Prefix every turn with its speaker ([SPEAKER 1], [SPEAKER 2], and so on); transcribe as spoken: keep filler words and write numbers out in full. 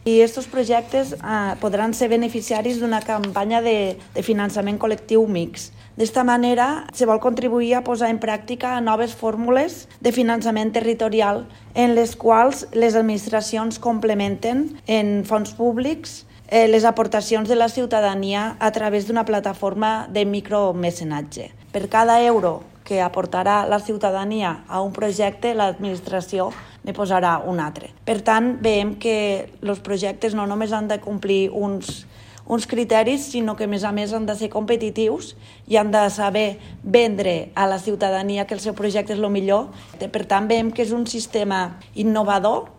[SPEAKER 1] I aquests projectes eh, podran ser beneficiaris d'una campanya de, de finançament col·lectiu mixt. D'esta manera, se vol contribuir a posar en pràctica noves fórmules de finançament territorial en les quals les administracions complementen en fons públics eh, les aportacions de la ciutadania a través d'una plataforma de micromecenatge. Per cada euro que aportarà la ciutadania a un projecte, l'administració ne posarà un altre. Per tant, veiem que els projectes no només han de complir uns uns criteris, sinó que a més a més han de ser competitius i han de saber vendre a la ciutadania que el seu projecte és el millor. Per tant, veiem que és un sistema innovador